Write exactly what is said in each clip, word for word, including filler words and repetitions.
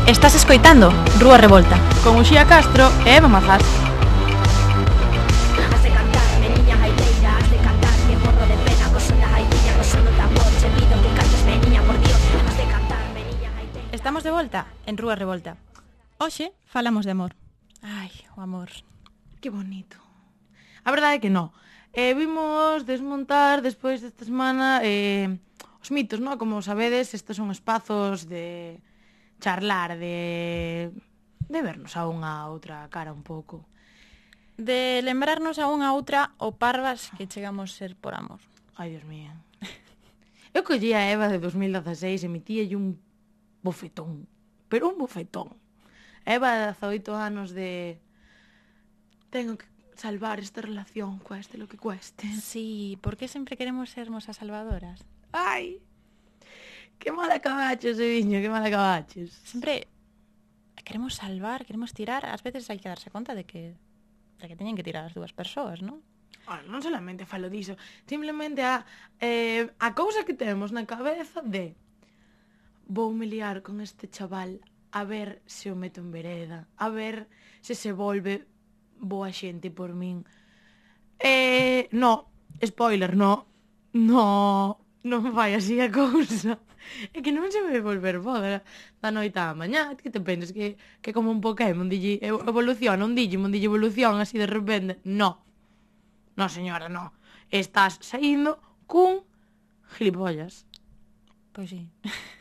Estás escoitando Rúa Revolta con Uxía Castro e Eva Mazás. Estamos de volta en Rúa Revolta. Hoxe falamos de amor. Ai, o amor. Que bonito. A verdade é que non. Eh, vimos desmontar despois desta semana eh, os mitos, non? Como sabedes, estes son espazos de charlar, de de vernos a unha a outra cara un pouco. De lembrarnos a unha a outra o parvas que chegamos ser por amor. Ai, Dios mío. Eu collí a Eva de dos mil dezaseis e metíalle un bofetón. Pero un bofetón. Eva de dezaoito anos de... Tengo que salvar esta relación, cueste lo que cueste. Sí, por que sempre queremos sermos as salvadoras? Ai, que mal acabaches, Eviño, que mal acabaches. Sempre queremos salvar, queremos tirar. Ás veces hai que darse conta de que de que teñen que tirar as dúas persoas, non? Ah, non solamente falo diso, simplemente a, eh, a cousa que temos na cabeza de vou me liar con este chaval a ver se o meto en vereda, a ver se se volve boa xente por min. Eh, no, spoiler, no, no, non vai así a cousa. É que non se vai volver boa da noite á mañá. Que te pensas que, que como un Pokémon dille evoluciona, un Digimon dille evolución así de repente? No. No, señora, no. Estás saindo cun gilipollas. Pois sí.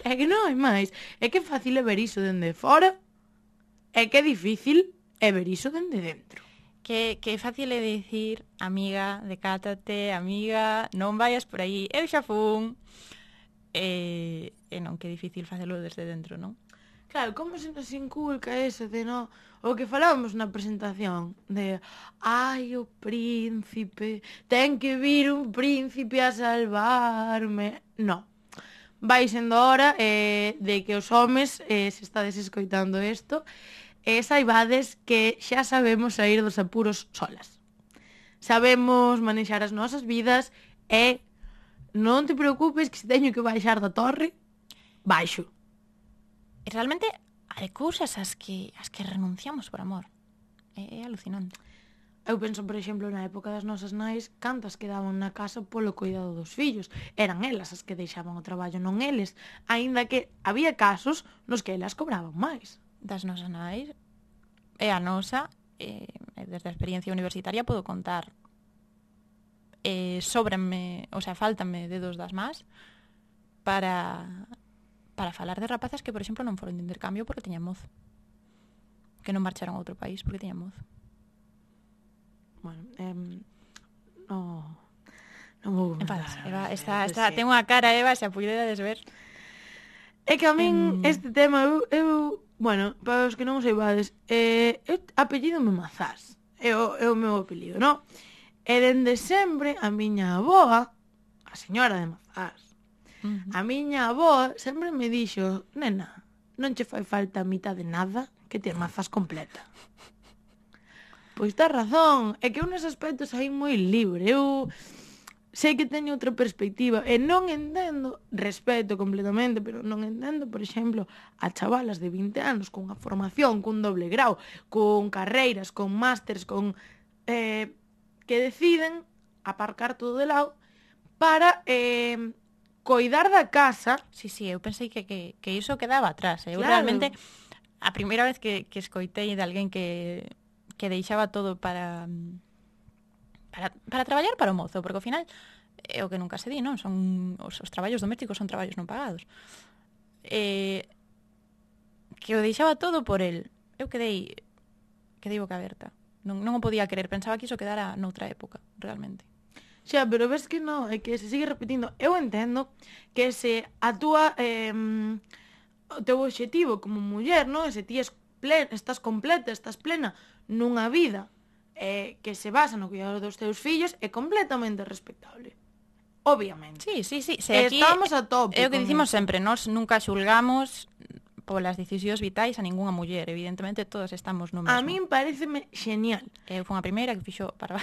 É que non hai máis. É que é fácil é ver iso dende fora. É que é difícil é ver iso dende dentro. Que, que é fácil é dicir, amiga, decátate, amiga, non vayas por aí, eu xa fun. E, e non, que é difícil facelo desde dentro, non? Claro, como se nos inculca eso de no... O que falábamos na presentación de ai, o príncipe, ten que vir un príncipe a salvarme. No. Vai sendo hora eh, de que os homes, eh, se estades escoitando isto, eh, saibades que xa sabemos sair dos apuros solas. Sabemos manexar as nosas vidas e non te preocupes que se teño que baixar da torre, baixo. E realmente hai cousas as que, as que renunciamos por amor. É, é alucinante. Eu penso, por exemplo, na época das nosas nais, cantas quedaban na casa polo cuidado dos fillos. Eran elas as que deixaban o traballo, non eles. Aínda que había casos nos que elas cobraban máis. Das nosas nais, e a nosa, eh, desde a experiencia universitaria podo contar. Eh, sobranme, o sea, faltanme dedos das más para para falar de rapazas que, por exemplo, non foron de intercambio porque teñan mozo. Que non marcharon a outro país porque teñan mozo. Bueno, eh, no, non vou Enfadas, Eva, está, está, ten unha cara, Eva, se a puidedes ver. É que a min em... este tema, eu, eu, bueno, para os que non o saibades, eh, eu apellido me Mazás, é o, é o meu apelido, non? E dende sempre a miña avoa, a señora de Mazás, uh-huh. a miña avoa sempre me dixo, nena, non che fai falta a mitad de nada que te Mazás completa. Pois tá razón, é que eu nese aspecto saí moi libre, eu sei que teño outra perspectiva e non entendo, respeto completamente, pero non entendo, por exemplo, a chavalas de vinte anos con unha formación, cun doble grau, con carreiras, con másters, con... Eh, que deciden aparcar todo de lado para eh, coidar da casa. Sí, sí, eu pensei que, que, que iso quedaba atrás. Eu claro. Realmente, a primeira vez que, que escoitei de alguén que, que deixaba todo para, para para traballar para o mozo, porque ao final é o que nunca se di, non? Son os, os traballos domésticos son traballos non pagados. Eh, que o deixaba todo por el. Eu quedei quedei boca aberta. Non, non o podía querer, pensaba que iso quedara noutra época, realmente. Xa, pero ves que non, é que se sigue repetindo. Eu entendo que se a túa eh, o teu obxectivo como muller, non? Se ti es plen, estás completa, estás plena nunha vida eh, que se basa no cuidado dos teus fillos, é completamente respectable. Obviamente. Sí, sí, sí. Se aquí, estamos a tope. É o que dicimos sempre, nós nunca xulgamos polas decisións vitais a ningunha muller, evidentemente todos estamos no mesmo. A min pareceme genial. Eu fui a primeira que fixo para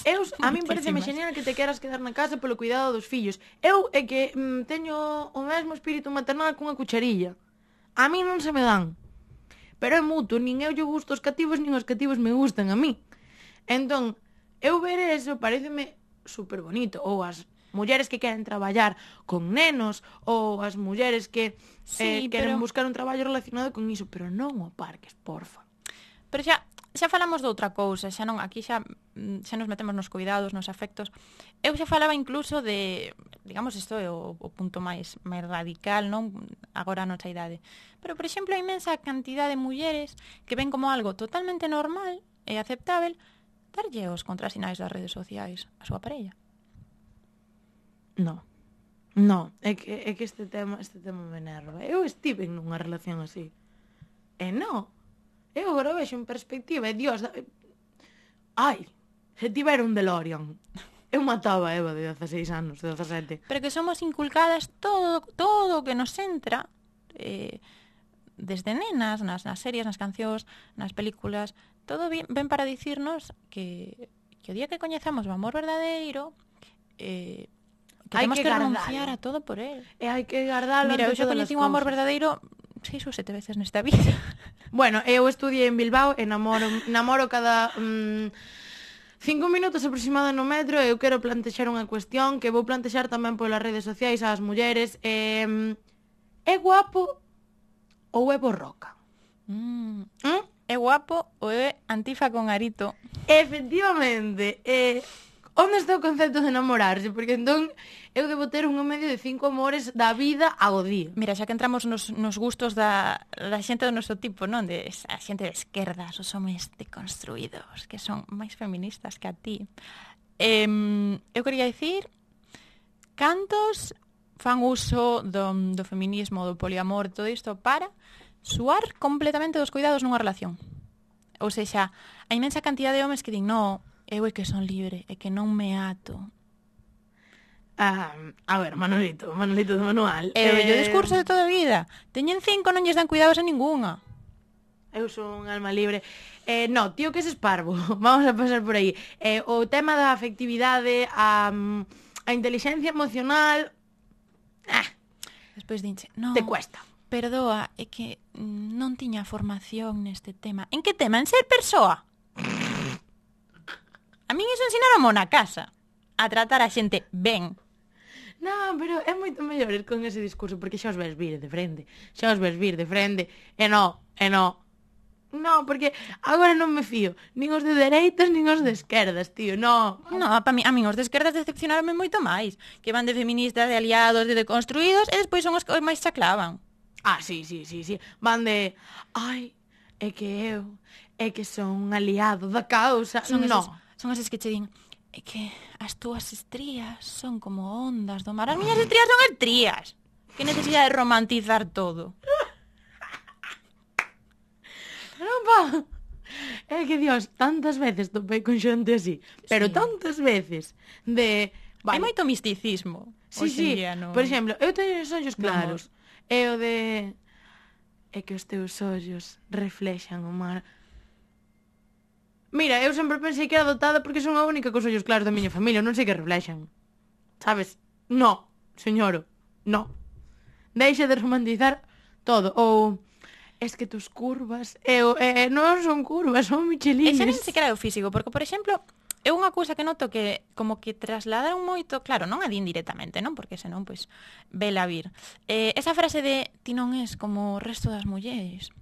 Eu, a min pareceme genial que te queras quedar na casa polo cuidado dos fillos. Eu é que mm, teño o mesmo espírito maternal cunha cucharilla. A min non se me dan. pero é mutuo, nin eu lle gusto os cativos, nin os cativos me gustan a mí. Entón, eu ver eso pareceme super bonito, ou as mulleres que queren traballar con nenos, ou as mulleres que Sí, eh, queren pero- buscar un traballo relacionado con iso, pero non o aparques, porfa. Pero xa, xa falamos de outra cousa, xa non, aquí xa, mm, xa nos metemos nos cuidados, nos afectos. Eu xa falaba incluso de, digamos, isto é o, o punto máis, máis radical, non? Agora a nosa idade. Pero, por exemplo, a inmensa cantidad de mulleres que ven como algo totalmente normal e aceptável darlle os contrasinais das redes sociais a súa parella. No. No, é que, é que este tema este tema me enerva. Eu estive nunha relación así. E no. Eu agora vexo en perspectiva, e Dios, da... ai, se tivera un DeLorean, eu mataba a Eva de dezaseis anos, de dezasete. Pero que somos inculcadas todo todo o que nos entra eh, desde nenas, nas, nas series, nas cancións, nas películas, todo bien, ven para dicirnos que, que o día que coñezamos o amor verdadeiro eh, que Hai temos que que, gardalo. renunciar a todo por él. E hai que guardalo. Mira, eu ante xa todas coñeci as un amor cousas. verdadeiro seis ou sete veces nesta vida. Bueno, eu estudiei en Bilbao e namoro, namoro cada mm, cinco minutos aproximado no metro e eu quero plantexar unha cuestión que vou plantexar tamén polas redes sociais ás mulleres. Eh, é guapo ou é borroca? Mm. ¿Mm? É guapo ou é antifa con arito? Efectivamente, eh, onde está o concepto de enamorarse? Porque entón eu debo ter unha media de cinco amores da vida ao día. Mira, xa que entramos nos, nos gustos da, da xente do noso tipo, non? De, a xente de esquerdas, os homes deconstruídos, que son máis feministas que a ti. Eh, eu quería dicir cantos fan uso do, do feminismo, do poliamor, todo isto para suar completamente dos cuidados nunha relación. Ou sexa, a inmensa cantidad de homes que din, no, eu é que son libre, é que non me ato. Ah, a ver, Manolito, Manolito de manual. É o vello discurso de toda a vida. Teñen cinco, non lles dan cuidados a ningunha. Eu son un alma libre. Eh, no, tío, que es esparvo. Vamos a pasar por aí. Eh, o tema da afectividade, a, a inteligencia emocional... Ah, Despois dinche, no, te cuesta. perdoa, é que mm, non tiña formación neste tema. En que tema? En ser persoa? A min iso ensinaron na casa. A tratar a xente ben. Non, pero é moito mellor ir con ese discurso, porque xa os ves vir de frente. Xa os ves vir de frente. E no, e no. No, porque agora non me fío. Nin os de dereitas, nin os de esquerdas, tío. No. No, pa mi, a min os de esquerdas decepcionaronme moito máis. Que van de feministas, de aliados, de deconstruídos, e despois son os que máis chaclavan. Ah, sí, sí, sí, sí. Van de... Ai, é que eu... É que son un aliado da causa. Son no. eses, son eses que che din, é que as túas estrías son como ondas do mar. As miñas estrías son estrías. Que necesidade de romantizar todo. Non, pa. É que, Dios, tantas veces topei con xente así. Pero Sí. tantas veces de... Hai moito misticismo. Sí, hoxe en sí. día, no... Por exemplo, eu teño os ollos no claros. É o de... É que os teus ollos reflexan o mar. Mira, eu sempre pensei que era dotada porque son a única cos ollos claros da miña familia. Non sei que reflexan. Sabes? No, señoro. No. Deixa de romantizar todo. Ou... Es que tus curvas... Eu, eh, non son curvas, son E michelines. xa nin sequera é o físico, porque, por exemplo, é unha cousa que noto que como que trasladaron moito, claro, non a din directamente, non? Porque senón, pois, vela vir. Eh, esa frase de ti non és como o resto das mulleres,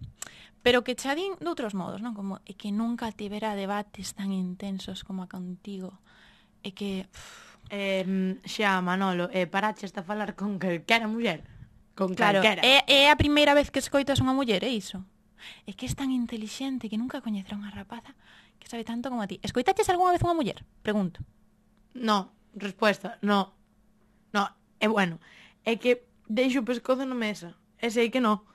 pero que xa din de outros modos, non? Como, é que nunca tivera debates tan intensos como a contigo. É que... Uf, Eh, xa, Manolo, eh, paraches a falar con calquera muller. Con claro, calquera. é, é a primeira vez que escoitas unha muller, é iso. É que es tan intelixente que nunca coñecerá unha rapaza que sabe tanto como a ti. Escoitaches algunha vez unha muller? Pregunto. No, respuesta, no. No, é bueno. É que deixo o pescozo na mesa. E sei que no.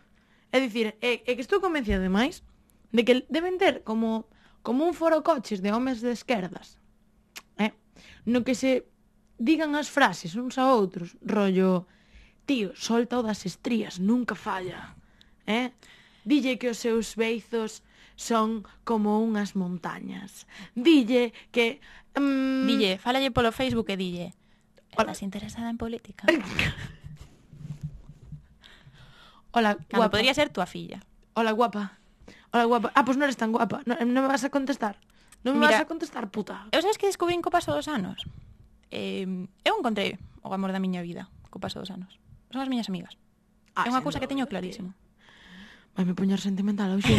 É dicir, é, é que estou convencida demais de que deben ter como, como un foro coches de homes de esquerdas. Eh? No que se digan as frases uns a outros, rollo, tío, solta o das estrías, nunca falla. Eh? Dille que os seus beizos son como unhas montañas. Dille que... Mm, Dille, fálalle polo Facebook e dille, Hola. estás interesada en política? Hola, Cando guapa. podría ser tua filla. Hola, guapa. Hola, guapa. Ah, pois pues non eres tan guapa. Non, non me vas a contestar. Non me Mira, vas a contestar, puta. Eu sabes que descubrín co paso dos anos? Eh, eu encontrei o amor da miña vida co paso dos anos. Son as miñas amigas. Ah, É unha sen cousa que dúbida, teño clarísimo. Vai me poñer sentimental hoxe.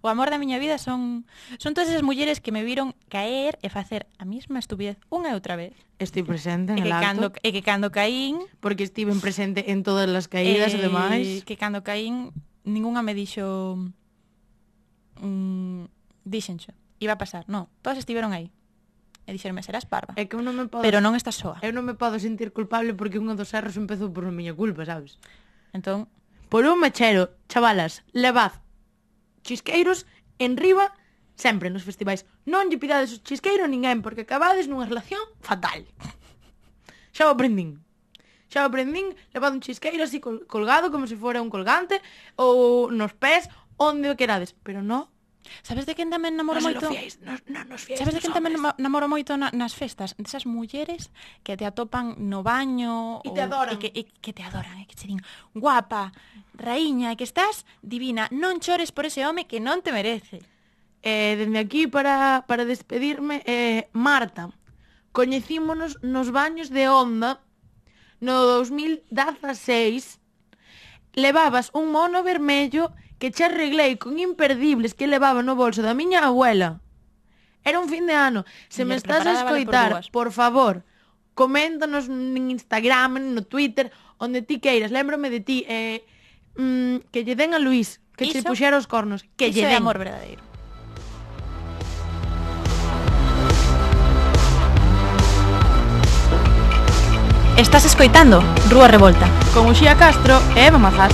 O amor da miña vida son son todas esas mulleres que me viron caer e facer a mesma estupidez unha e outra vez. Estoy presente E en que el cando, acto. e que cando caín... Porque estiven presente en todas as caídas e demais. Que cando caín, ningunha me dixo... Mm, díxenxo, iba a pasar. No, todas estiveron aí. E dixeronme, serás parva. É que eu non me podo... Pero non estás soa. Eu non me podo sentir culpable porque un dos erros empezou por miña culpa, sabes? Entón, Por un mechero, chavalas, levad chisqueiros en riba sempre nos festivais. Non lle pidades o chisqueiro a ninguén porque acabades nunha relación fatal. Xa o aprendín. Xa o aprendín, levad un chisqueiro así col colgado como se fora un colgante ou nos pés, onde o querades. Pero non. sabes de quen tamén namoro Non se moito? lo fiéis, non, non nos fiéis Sabes de dos quen tamén hombres. nama- namoro moito na, nas festas? Desas mulleres que te atopan no baño E te ou- adoran. E que, e que te adoran, e que che din guapa, raíña, e que estás divina. Non chores por ese home que non te merece. Eh, dende aquí para, para despedirme, eh, Marta, coñecímonos nos baños de Onda no dos mil dezaseis. Levabas un mono vermello que che arreglei con imperdibles que levaba no bolso da miña abuela. Era un fin de ano. Se me Muller estás a preparada vale por escoitar, dúas. por favor, coméntanos en Instagram, no Twitter, onde ti queiras. Lémbrame de ti. Eh, mm, que lle den a Luís, que che Iso- puxera os cornos. Que Iso lle é den. amor verdadeiro. Estás escoitando Rúa Revolta. Con Uxía Castro e Eva Mazás.